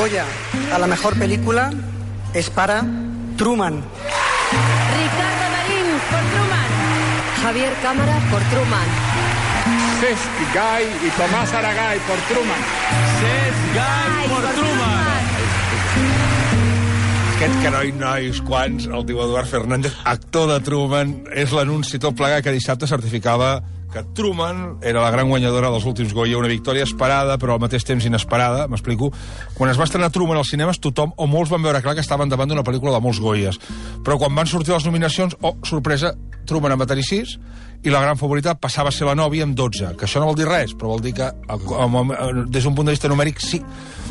Goya a la mejor película es para Truman. Ricardo Darín por Truman. Javier Cámara por Truman. Cesc Gai y Tomás Aragay por Truman. Cesc Gai por Truman. Aquest caroi, nois, quants, el diu Eduard Fernández, actor de Truman, és l'anunci tot plegat que dissabte certificava que Truman era la gran guanyadora dels últims Goya, una victòria esperada, però al mateix temps inesperada, m'explico. Quan es va estrenar Truman als cinemes, tothom o molts van veure clar que estaven davant d'una pel·lícula de molts Goyes. Però quan van sortir les nominacions, sorpresa, Truman en va tenir 6, i la gran favorita passava a ser la nòvia amb 12, que això no vol dir res, però vol dir que, des d'un punt de vista numèric, sí.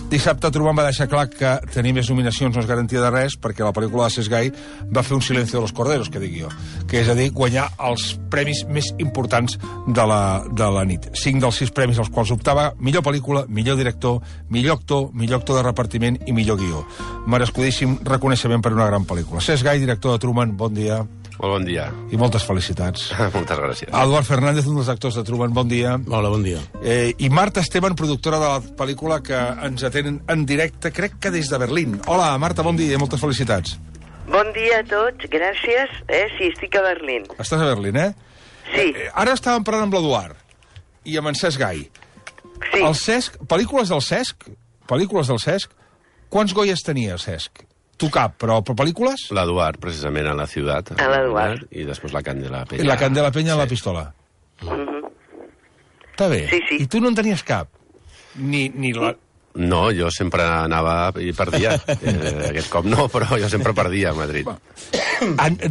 Dissabte Truman va deixar clar que tenir més nominacions no és garantia de res, perquè la pel·lícula de Cesc Gai va fer un silencio de los corderos, que dic jo, que és a dir, guanyar els premis més importants de la nit. 5 dels 6 premis als quals optava: millor pel·lícula, millor director, millor actor de repartiment i millor guió. Merescudíssim reconeixement per una gran pel·lícula. Cesc Gai, director de Truman, bon dia. Molt bon dia. I moltes felicitats. Moltes gràcies. Eduard Fernández, un dels actors de Truman, bon dia. Hola, bon dia. I Marta Esteban, productora de la pel·lícula, que ens atén en directe, crec que des de Berlín. Hola, Marta, bon dia i moltes felicitats. Bon dia a tots, gràcies. Sí, estic a Berlín. Estàs a Berlín, eh? Sí. Ara estàvem parlant amb l'Eduard i amb en Cesc Gai. Sí. El Cesc, pel·lícules del Cesc, quants Goyes tenia, Cesc? Tu cap, però pel·lícules? L'Eduard, precisament, a la ciutat. A l'Eduard. I després la Candela Peña. La Candela Peña en la pistola. Està bé. Sí, sí. I tu no en tenies cap? Ni la... No, jo sempre anava i perdia. Aquest cop no, però jo sempre perdia a Madrid.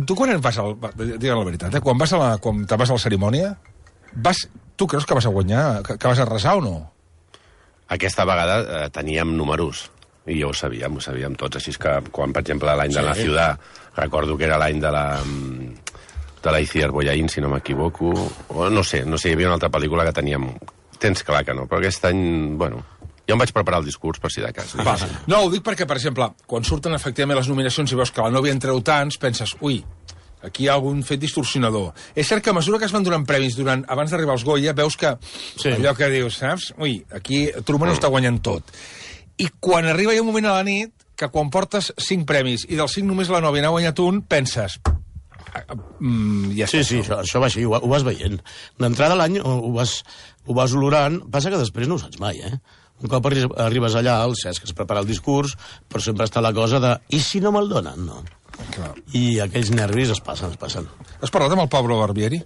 Tu quan vas digue'm la veritat, quan te'n vas a la cerimònia, tu creus que vas a guanyar, que vas a arrasar o no? Aquesta vegada teníem números. I ho sabíem tots. Així que quan, per exemple, l'any de la Ciutat, recordo que era l'any de la Iciar Boyaín, si no m'equivoco, o no sé, hi havia una altra pel·lícula que teníem... Tens clar que no, però aquest any, bueno... Jo em vaig preparar el discurs, per si de cas. No, ho dic perquè, per exemple, quan surten efectivament les nominacions i veus que la nòvia en treu tants, penses, ui, aquí hi ha algun fet distorsionador. És cert que a mesura que es van donant premis abans d'arribar als Goya, veus que allò que dius, saps? Ui, aquí Truman ho està guanyant tot. I quan arriba hi ha un moment a la nit que quan portes 5 premis i dels 5 només la nòvia n'ha guanyat un, penses... ja sí, això va així, ho vas veient. D'entrada l'any ho vas olorant, passa que després no ho saps mai, eh? Un cop arribes allà, el Cesc es prepara el discurs, però sempre està la cosa de i si no me'l donen, no? Clar. I aquells nervis es passen. Has parlat amb el Pablo Barbieri?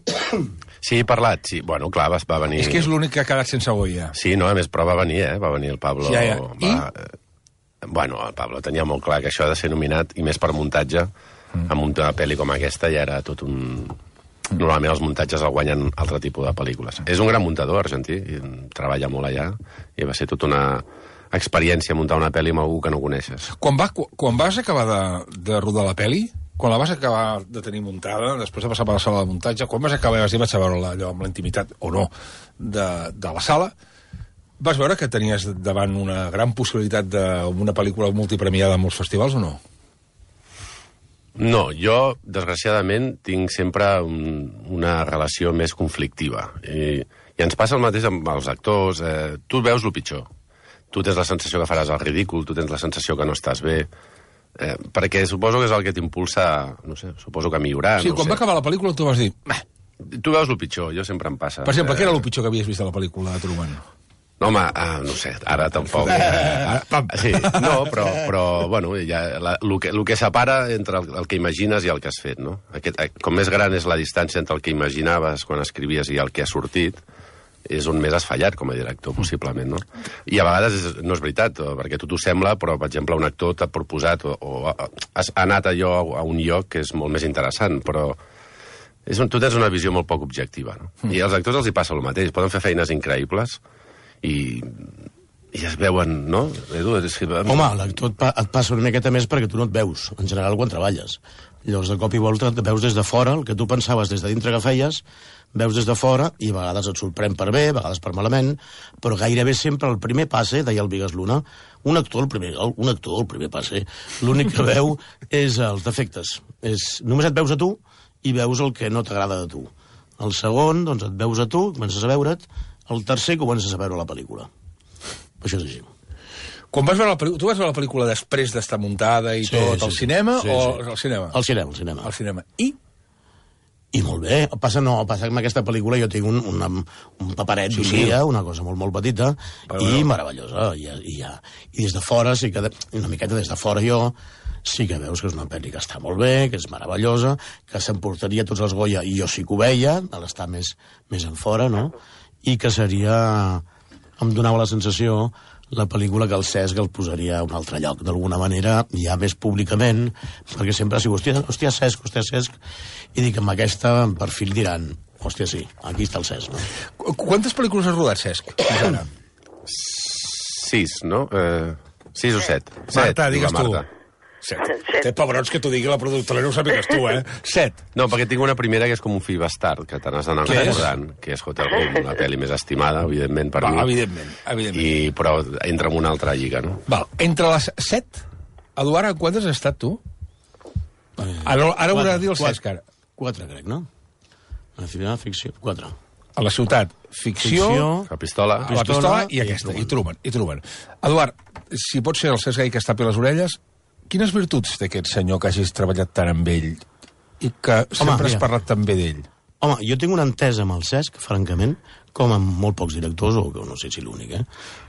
Sí, he parlat, sí. Bueno, clar, va venir... És que és l'únic que ha quedat sense Goya. Sí, no, a més, però va venir, va venir el Pablo... Ja. Bueno, el Pablo tenia molt clar que això ha de ser nominat, i més per muntatge, a muntar una pel·li com aquesta ja era tot un... Normalment els muntatges el guanyen altre tipus de pel·lícules. És un gran muntador argentí, i treballa molt allà, i va ser tota una experiència muntar una pel·li amb algú que no coneixes. Quan vas acabar de rodar la pel·li, quan la vas acabar de tenir muntada, després de passar per la sala de muntatge, quan vas acabar i vaig a veure-la allò amb la intimitat, o no, de la sala, vas veure que tenies davant una gran possibilitat d'una pel·lícula multipremiada en molts festivals o no? No, jo, desgraciadament, tinc sempre una relació més conflictiva. I ens passa el mateix amb els actors. Tu veus el pitjor. Tu tens la sensació que faràs el ridícul, tu tens la sensació que no estàs bé, perquè suposo que és el que t'impulsa, no sé, suposo que a millorar. Sí, quan va acabar la pel·lícula tu vas dir... Tu veus el pitjor, jo sempre em passa. Per exemple, què era el pitjor que havies vist a la pel·lícula de Truman? No, home, no sé, ara tampoc... Sí, no, però bueno, el que separa entre el que imagines i el que has fet, no? Com més gran és la distància entre el que imaginaves quan escrivies i el que ha sortit, és on més has fallat com a director, possiblement, no? I a vegades no és veritat, perquè a tu t'ho sembla, però, per exemple, un actor t'ha proposat o ha anat allò a un lloc que és molt més interessant, però tu tens una visió molt poc objectiva, no? I als actors els hi passa el mateix, poden fer feines increïbles i es veuen, no? Edu, home, l'actor et passa una miqueta més perquè tu no et veus, en general, quan treballes. Llavors, de cop i volta, et veus des de fora, el que tu pensaves des de dintre que feies, veus des de fora, i a vegades et sorprèn per bé, a vegades per malament, però gairebé sempre el primer passe, deia el Vigas Luna, un actor el primer passe, l'únic que veu és els defectes. Només et veus a tu i veus el que no t'agrada de tu. El segon, doncs, et veus a tu, comences a veure't, el tercer comences a veure la pel·lícula. Això és així. Quan vas veure tu vas veure la pel·lícula després d'estar muntada i tot, al cinema o al cinema? Al cinema. Al cinema. I molt bé. Passa que amb aquesta pel·lícula jo tinc un paperet d'un dia, una cosa molt, molt petita, i meravellosa. I des de fora, una miqueta des de fora jo, sí que veus que és una pel·li que està molt bé, que és meravellosa, que s'emportaria tots els Goya, i jo sí que ho veia, a l'estar més en fora, no? I que seria... Em donava la sensació la pel·lícula que el Cesc el posaria a un altre lloc, d'alguna manera, ja més públicament, perquè sempre ha sigut, hòstia, Cesc, i dic, amb aquesta, per fi diran, hòstia, sí, aquí està el Cesc, no? Quantes pel·lícules has rodat, Cesc? 6, no? 6 o 7. Marta, digues tu. 7. Té pebrons que t'ho digui la productora, no ho sàpigues tu, 7. No, perquè tinc una primera que és com un fill bastard, que te n'has d'anar recordant, que és Hotel Room, la pel·li més estimada, evidentment, per mi. Evidentment. Però entra en una altra lliga, no? Val, entre les 7, Eduard, quantes has estat tu? Ara haurà de dir el Cesc, ara. 4, crec, no? A la final, ficció, 4. A la ciutat, ficció... La pistola i aquesta, i Truman. Eduard, si pots ser el Cesc Gai que es tapi les orelles, quines virtuts té aquest senyor que hagis treballat tant amb ell i que sempre has parlat tan bé d'ell? Home, jo tinc una entesa amb el Cesc, francament, com amb molt pocs directors, o no sé si l'únic,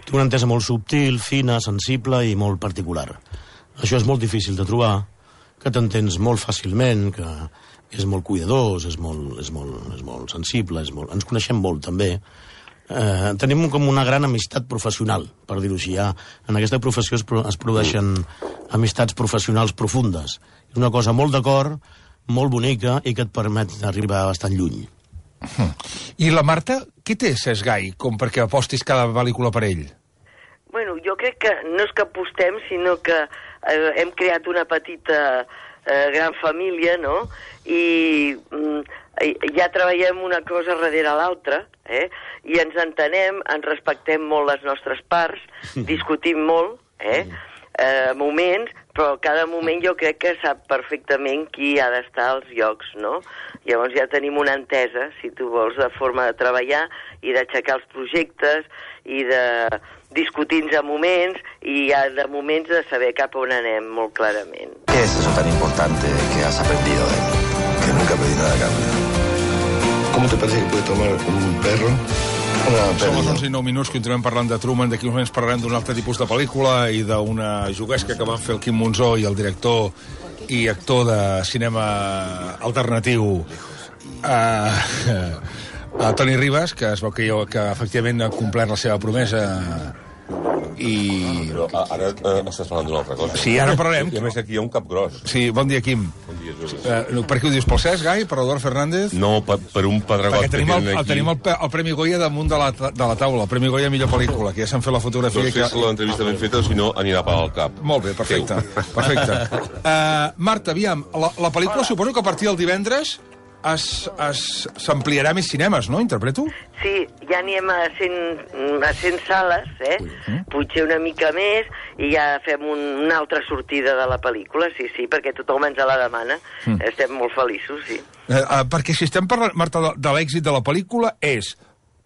Tinc una entesa molt subtil, fina, sensible i molt particular. Això és molt difícil de trobar, que t'entens molt fàcilment, que és molt cuidadós, és molt sensible, ens coneixem molt, també. Tenim com una gran amistat professional, per dir-ho així. En aquesta professió es produeixen amistats professionals profundes. És una cosa molt d'acord, molt bonica i que et permet arribar bastant lluny. I la Marta, què té Cesc Gai com perquè apostis cada pel·lícula per ell? Bueno, jo crec que no és que apostem, sinó que hem creat una petita gran família, no? I ja treballem una cosa darrere l'altra, i ens entenem, ens respectem molt les nostres parts, discutim molt, moments, però cada moment jo crec que sap perfectament qui ha d'estar als llocs, no? Llavors ja tenim una entesa, si tu vols, de forma de treballar i d'aixecar els projectes i de discutir-nos a moments i ja de moments de saber cap on anem molt clarament. ¿Qué es eso tan importante que has aprendido de mí? Que nunca pedí nada a cambio. ¿Cómo te parece que puede tomar un perro? Som els 11 i 9 minuts, continuem parlant de Truman. D'aquí uns moments parlarem d'un altre tipus de pel·lícula i d'una juguesca que van fer el Quim Monzó i el director i actor de cinema alternatiu Toni Ribas, que es veu que efectivament ha complert la seva promesa i... Però ara estàs parlant d'una altra cosa. Sí, ara parlarem. I a més aquí hi ha un cap gros. Sí, bon dia, Quim. Bon dia, Juli. Per què ho dius? Pel Cesc Gai? Per Eduard Fernández? No, per un pedregot que tenen aquí. Tenim el Premi Goya damunt de la taula, el Premi Goya millor pel·lícula, que ja s'han fet la fotografia. No sé si l'entrevista ben feta o si no anirà per al cap. Molt bé, perfecte. Marta, aviam, la pel·lícula suposo que a partir del divendres s'ampliarà més cinemes, no? Interpreto? Sí, ja anem a 100 sales, potser una mica més, i ja fem una altra sortida de la pel·lícula, sí, perquè tothom ens la demana. Estem molt feliços, sí. Perquè si estem parlant, Marta, de l'èxit de la pel·lícula és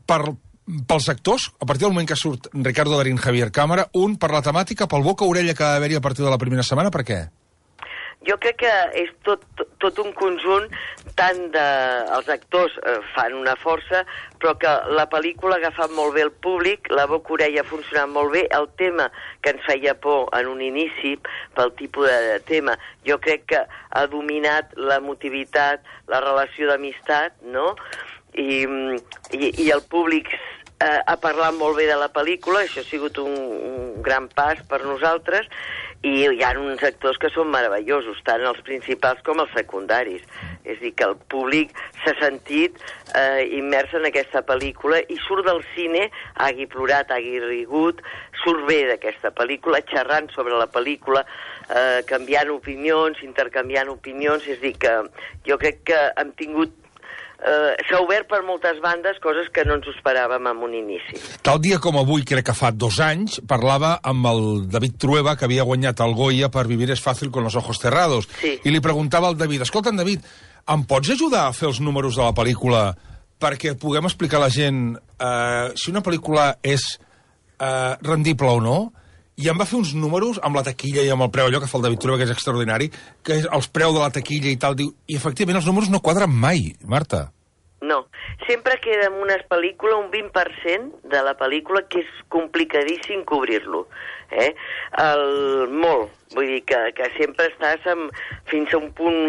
pels actors, a partir del moment que surt Ricardo Darín, Javier Cámara, per la temàtica, pel boca-orella que ha d'haver-hi a partir de la primera setmana, per què? Jo crec que és tot un conjunt, tant els actors fan una força, però que la pel·lícula ha agafat molt bé el públic, la boca-orella ha funcionat molt bé, el tema que ens feia por en un inici, pel tipus de tema, jo crec que ha dominat l'emotivitat, la relació d'amistat, no? I el públic ha parlat molt bé de la pel·lícula, això ha sigut un gran pas per nosaltres, i hi ha uns actors que són meravellosos, tant els principals com els secundaris. És a dir, que el públic s'ha sentit immers en aquesta pel·lícula i surt del cine, hagi plorat, hagi rigut, surt bé d'aquesta pel·lícula, xerrant sobre la pel·lícula, canviant opinions, intercanviant opinions. És a dir, que jo crec que hem tingut s'ha obert per moltes bandes, coses que no ens ho esperàvem en un inici. Tal dia com avui, crec que fa 2 anys, parlava amb el David Trueba, que havia guanyat el Goya per Vivir es fácil con los ojos cerrados. Sí. I li preguntava al David, escolta'm, David, em pots ajudar a fer els números de la pel·lícula perquè puguem explicar a la gent si una pel·lícula és rendible o no? i em va fer uns números amb la taquilla i amb el preu, allò que fa el David Trueba, que és extraordinari, que és els preus de la taquilla i tal, diu, i efectivament els números no quadren mai, Marta. No, sempre queda en una pel·lícula un 20% de la pel·lícula que és complicadíssim cobrir-lo. Molt, vull dir que sempre estàs fins a un punt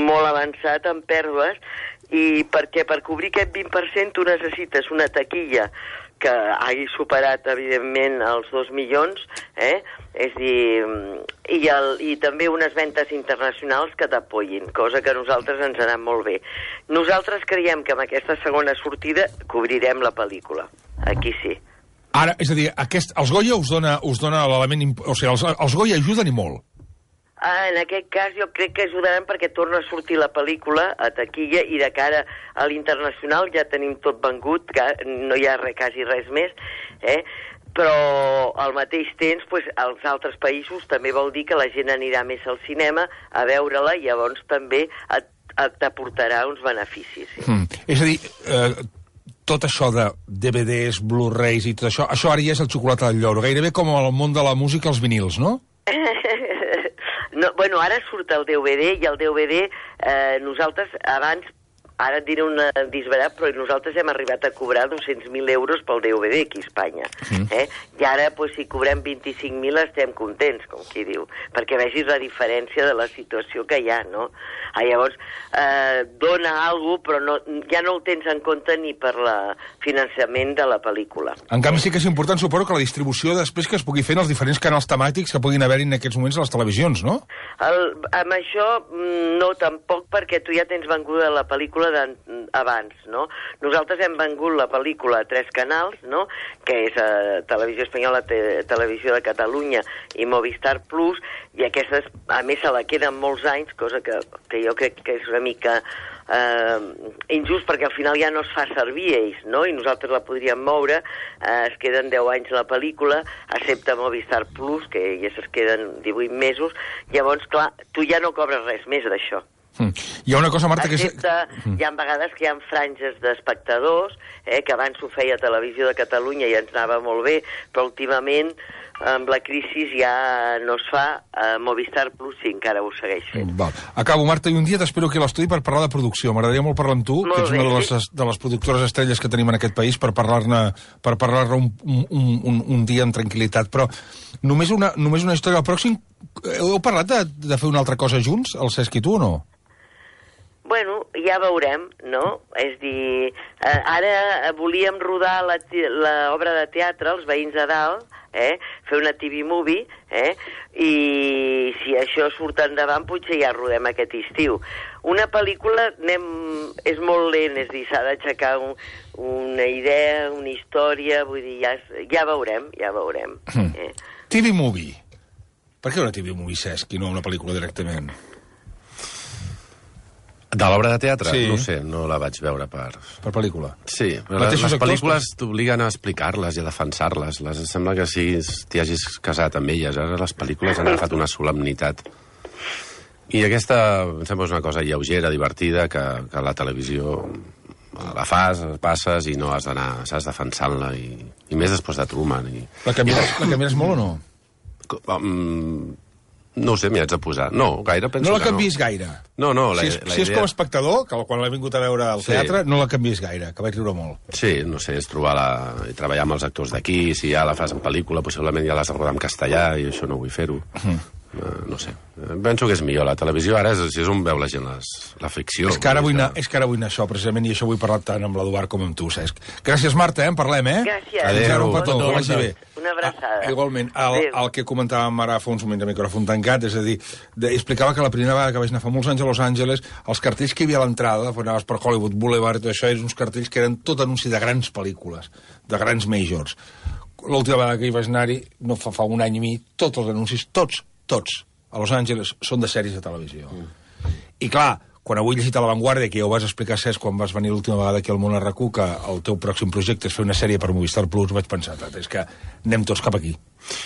molt avançat en pèrdues, i perquè per cobrir aquest 20% tu necessites una taquilla que hagi superat, evidentment, els 2 milions, és a dir, i també unes ventes internacionals que t'apoyin, cosa que a nosaltres ens ha anat molt bé. Nosaltres creiem que amb aquesta segona sortida cobrirem la pel·lícula. Aquí sí. Ara, és a dir, els Goya us dona l'element... O sigui, els Goya ajuden i molt. En aquest cas jo crec que ajudaran perquè torna a sortir la pel·lícula a taquilla i de cara a l'internacional ja tenim tot vengut, que no hi ha quasi res més, però al mateix temps als altres països també vol dir que la gent anirà més al cinema a veure-la i llavors també t'aportarà uns beneficis. Sí. És a dir, tot això de DVDs, Blu-rays i tot això, això ara ja és el xocolata del lloro, gairebé com al món de la música els vinils, no? No, bueno, ara surt el DVD i el DVD nosaltres abans, ara et diré un disbarat, però nosaltres hem arribat a cobrar 200.000 euros pel DVD aquí a Espanya. I ara, si cobrem 25.000 estem contents, com qui diu, perquè vegis la diferència de la situació que hi ha, no? Llavors, dona alguna cosa, però ja no ho tens en compte ni per el finançament de la pel·lícula. En canvi, sí que és important, suposo, que la distribució després que es pugui fer en els diferents canals temàtics que puguin haver-hi en aquests moments a les televisions, no? Amb això, no, tampoc, perquè tu ja tens venguda la pel·lícula abans, no? Nosaltres hem vengut la pel·lícula a 3 canals, no? Que és Televisió Espanyola, Televisió de Catalunya i Movistar Plus, i aquestes, a més, se la queden molts anys, cosa que jo crec que és una mica injust, perquè al final ja no es fa servir ells, no? I nosaltres la podríem moure, es queden 10 anys la pel·lícula, excepte Movistar Plus, que ja es queden 18 mesos, llavors, clar, tu ja no cobres res més d'això. Hi ha una cosa, Marta, que és... Hi ha vegades que hi ha franges d'espectadors, que abans ho feia Televisió de Catalunya i ens anava molt bé, però últimament amb la crisi ja no es fa. Movistar Plus sí, encara ho segueix fent. Acabo, Marta, i un dia t'espero aquí a l'estudi per parlar de producció. M'agradaria molt parlar amb tu, que ets una de les productores estrelles que tenim en aquest país, per parlar-ne un dia amb tranquil·litat. Però només una història. Al pròxim, heu parlat de fer una altra cosa junts, el Cesc i tu, o no? Bueno, ja veurem, no? És dir, ara volíem rodar l'obra de teatre, Els veïns de dalt, fer una TV movie, i si això surt endavant potser ja rodem aquest estiu. Una pel·lícula és molt lent, és dir, s'ha d'aixecar una idea, una història, vull dir, ja veurem. TV movie. Per què una TV movie, Cesc, i no una pel·lícula directament? De l'obra de teatre? Sí. No sé, no la vaig veure per... Per pel·lícula? Sí, les pel·lícules t'obliguen a explicar-les i a defensar-les. Sembla que t'hi hagis casat amb elles. Ara les pel·lícules han agafat una solemnitat. I aquesta, em sembla, és una cosa lleugera, divertida, que la televisió la fas, passes i no has d'anar, saps, defensant-la. I més després de Truman. La canvies molt o no? No ho sé, m'hi haig de posar. No, gaire penso que no. No la canviïs gaire? No, si és com a espectador, que quan l'he vingut a veure al teatre, no la canviïs gaire, que vaig riure molt. Sí, no sé, és treballar amb els actors d'aquí, si ja la fas en pel·lícula, possiblement ja l'has de rodar en castellà, i això no vull fer-ho. No sé. Penso que és millor. La televisió ara és on veu la gent la ficció. És que ara vull anar a això, precisament, i això vull parlar tant amb l'Eduard com amb tu, Cesc. Gràcies, Marta, en parlem, Gràcies. Adéu. Un petó, que vagi bé. Una abraçada. Igualment, el que comentàvem ara fa uns moments de micròfon tancat, és a dir, explicava que la primera vegada que vaig anar fa molts anys a Los Angeles, els cartells que hi havia a l'entrada, quan anaves per Hollywood Boulevard i tot això, eren uns cartells que eren tot anunci de grans pel·lícules, de grans majors. L'última vegada que hi vaig anar-hi, no fa un any i mig, tots els anuncis, tots, a Los Angeles, són de sèries de televisió. I clar, quan avui he llegit a La Vanguardia, que ja ho vas explicar, Cesc, quan vas venir l'última vegada aquí al Món RQ, que el teu pròxim projecte és fer una sèrie per Movistar Plus, vaig pensar, és que anem tots cap aquí.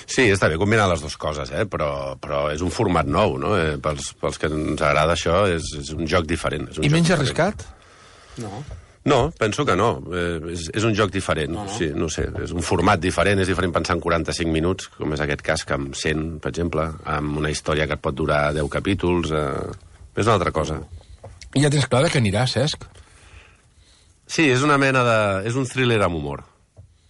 Sí, està bé combinar les dues coses, però és un format nou, no? Pels que ens agrada això, és un joc diferent. I menys arriscat? No. No, penso que no. És un joc diferent. No. Sí, no sé, és un format diferent. És diferent pensar en 45 minuts, com és aquest cas, que amb 100, per exemple, amb una història que et pot durar 10 capítols. És una altra cosa. I ja tens clar que anirà, Cesc? Sí, és una mena de... És un thriller amb humor,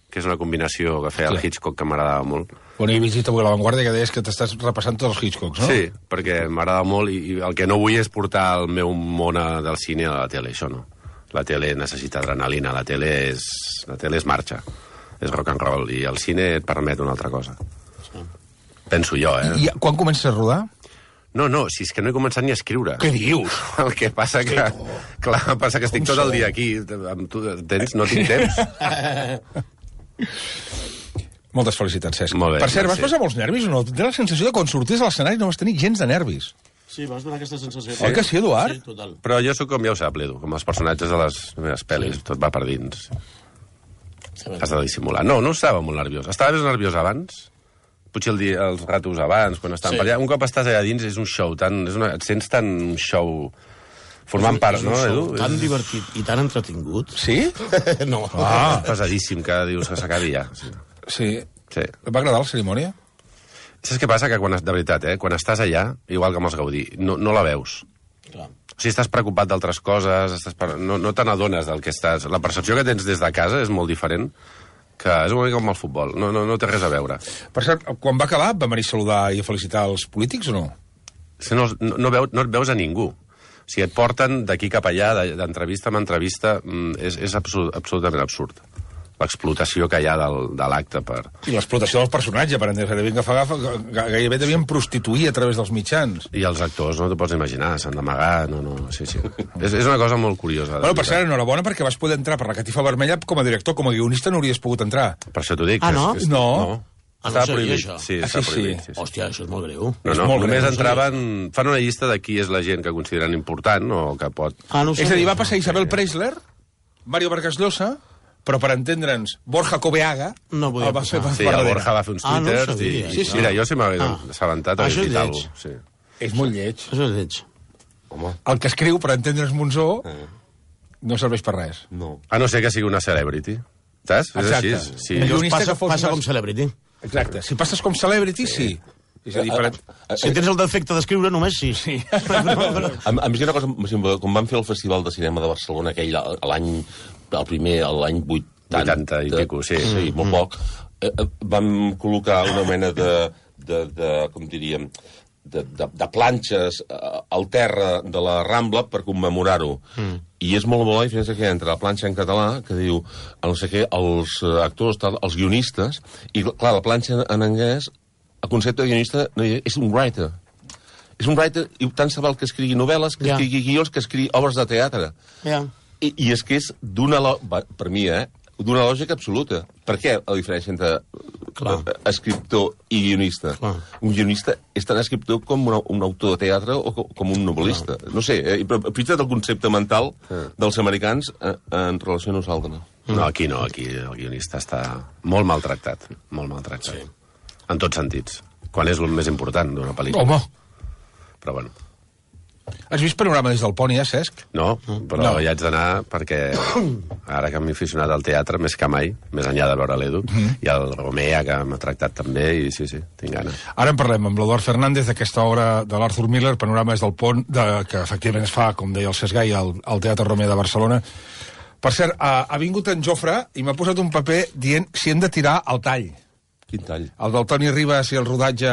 que és una combinació que feia el Hitchcock que m'agradava molt. Bueno, he llegit avui a La Vanguardia que deies que t'estàs repassant tots els Hitchcocks, no? Sí, perquè m'agrada molt i el que no vull és portar el meu món del cine a la tele, això no. La tele necessita adrenalina, la tele és marxa, és rock and roll, i el cine et permet una altra cosa. Sí. Penso jo, I quan comences a rodar? No, si és que no he començat ni a escriure. Què dius? El que passa que... Clar, passa que estic tot el dia aquí. Amb tu, no tinc temps. Moltes felicitats, Cesc. Molt bé, per cert, vas passar molts nervis o no? Tens la sensació de quan sorties a l'escenari no vas tenir gens de nervis. Sí, vas donar aquesta sensació. Oi que sí, Eduard? Sí, total. Però jo sóc com ja ho sap, l'Edu, com els personatges de les meves pel·lis, tot va per dins. Has de dissimular. No estava molt nerviós. Estava més nerviós abans, potser els ratos abans, quan estàvem per allà. Un cop estàs allà dins és un show, et sents tan un show formant part, no, Edu? Tan divertit i tan entretingut. Sí? No. Pesadíssim, que dius que s'acabi ja. Sí. Et va agradar la cerimònia? Saps què passa? Que de veritat, quan estàs allà, igual que amb els Gaudí, no la veus. Clar. O sigui, estàs preocupat d'altres coses, no te n'adones del que estàs... La percepció que tens des de casa és molt diferent, que és una mica com el futbol, no té res a veure. Per cert, quan va acabar, va venir a saludar i a felicitar els polítics o no? No et veus a ningú. O sigui, et porten d'aquí cap allà, d'entrevista en entrevista, és absolutament absurd. L'explotació que hi ha de l'acte per... I l'explotació dels personatges, per entendre que gairebé devien prostituir a través dels mitjans. I els actors, no t'ho pots imaginar, s'han d'amagar, sí. És una cosa molt curiosa. Bueno, per cert, enhorabona, perquè vas poder entrar per la catifa vermella com a director, com a guionista no hauries pogut entrar. Per això t'ho dic. No? No. Estava prohibit, això? Sí, està prohibit. Sí. Hòstia, això és molt greu. Només entraven... Fan una llista de qui és la gent que consideren important o que pot... És a dir, va passar Isabel Preisler, Mario Vargas Llosa... però per entendre'ns, Borja Coveaga no el va fer sí, el Borja va fer uns twitters sí. Mira, jo si m'hagués assabentat això és lleig. Sí. És molt lleig. Això és lleig. Home. El que escriu per entendre'ns Monzó no serveix per res. No. A no ser que sigui una celebrity. Saps? Exacte. És així. Sí. Passa com celebrity. Exacte. Si passes com celebrity, sí. És a dir, si tens el defecte d'escriure, només sí. A mi una cosa, quan van fer el Festival de Cinema de Barcelona, aquell l'any 80 i pico, sí. Sí, molt poc, vam col·locar una mena de com diríem, de planxes al terra de la Rambla per commemorar-ho. I és molt bo la diferència que hi ha entre la planxa en català, que diu, no sé què, els actors, els guionistes, i clar, la planxa en anglès, el concepte de guionista és un writer. És un writer, i tant se val que escrigui novel·les, que escrigui guions, que escrigui obres de teatre. I és que és per mi, d'una lògica absoluta. Per què la diferència entre escriptor i guionista? Un guionista és tan escriptor com un autor de teatre o com un novel·lista. No sé, però fixa't el concepte mental dels americans en relació a nosaltres. No, aquí el guionista està molt maltractat, molt maltractat. Sí. En tots sentits. Quan és el més important d'una pel·lícula. Home! Però bueno... Has vist Panorama des del pont, ja, Cesc? No, però hi haig d'anar perquè ara que m'he aficionat al teatre més que mai, més enllà de veure l'Edu, i el Romea, que m'ha tractat també, i sí, tinc gana. Ara en parlem amb l'Eduard Fernández d'aquesta obra de l'Arthur Miller, Panorama des del pont, que efectivament es fa, com deia el Cesc Gai, al Teatre Romea de Barcelona. Per cert, ha vingut en Jofre i m'ha posat un paper dient si hem de tirar el tall. Quin tall? El del Toni Ribas i el rodatge...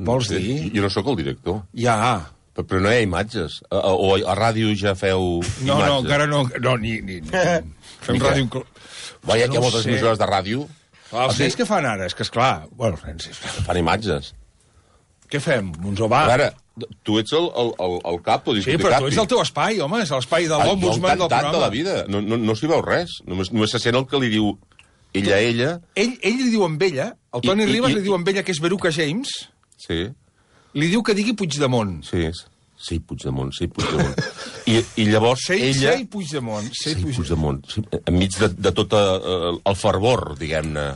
Vols dir? Jo no sóc el director. Ja. Però no hi ha imatges. O a ràdio ja feu imatges. No, encara no. No, ni. Fem ràdio... Hi ha moltes emissores de ràdio. Els nens que fan ara? És que, esclar... Bueno, nens... Fan imatges. Què fem? Monzó, va. A veure, tu ets el cap, o sí, però tu ets el teu espai, home. És l'espai de l'ombudsman del programa. Jo de la vida. No s'hi veu res. Només se sent el que li diu ella a ella. Ell li diu amb ella, el Toni Ribas li diu amb ella que és Veruca James... Sí. Li diu que digui Puigdemont. Sí, Puigdemont. I llavors ella... Sei Puigdemont. Enmig de tot el fervor, diguem-ne.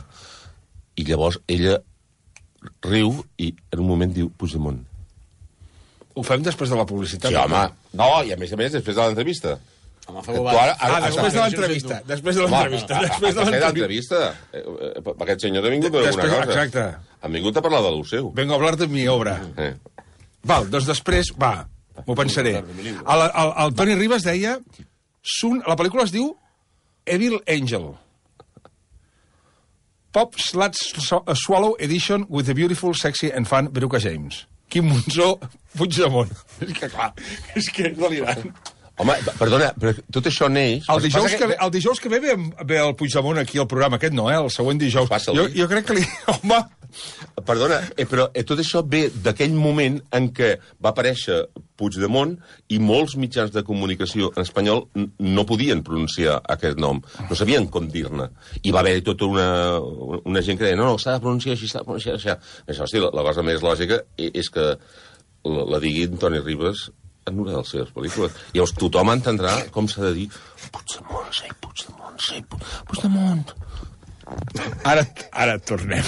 I llavors ella riu i en un moment diu Puigdemont. Ho fem després de la publicitat. Sí, home. No, i a més, després de l'entrevista. Després de l'entrevista. Després de l'entrevista. Aquest senyor ha vingut a dir una cosa. Exacte. Ha vingut a parlar de lo seu. Vengo a hablar de mi obra. Val, doncs després, m'ho pensaré. El Toni Ribas deia... La pel·lícula es diu Evil Angel. Pop Sluts Swallow Edition with the beautiful, sexy and fun Veruca James. Quim Monzó, Puigdemont. És que clar, és delirant. Home, perdona, però tot això neix... El dijous que ve el Puigdemont aquí al programa, aquest no, el següent dijous. Jo crec que Home... Perdona, però tot això ve d'aquell moment en què va aparèixer Puigdemont i molts mitjans de comunicació en espanyol no podien pronunciar aquest nom, no sabien com dir-ne. I va haver tota una gent que deia no, s'ha de pronunciar així, s'ha de pronunciar així. Hosti, la cosa més lògica és que la digui Toni Ribas en una de les seves pel·lícules. I llavors tothom entendrà com s'ha de dir Puigdemont, Puigdemont. Ara tornem.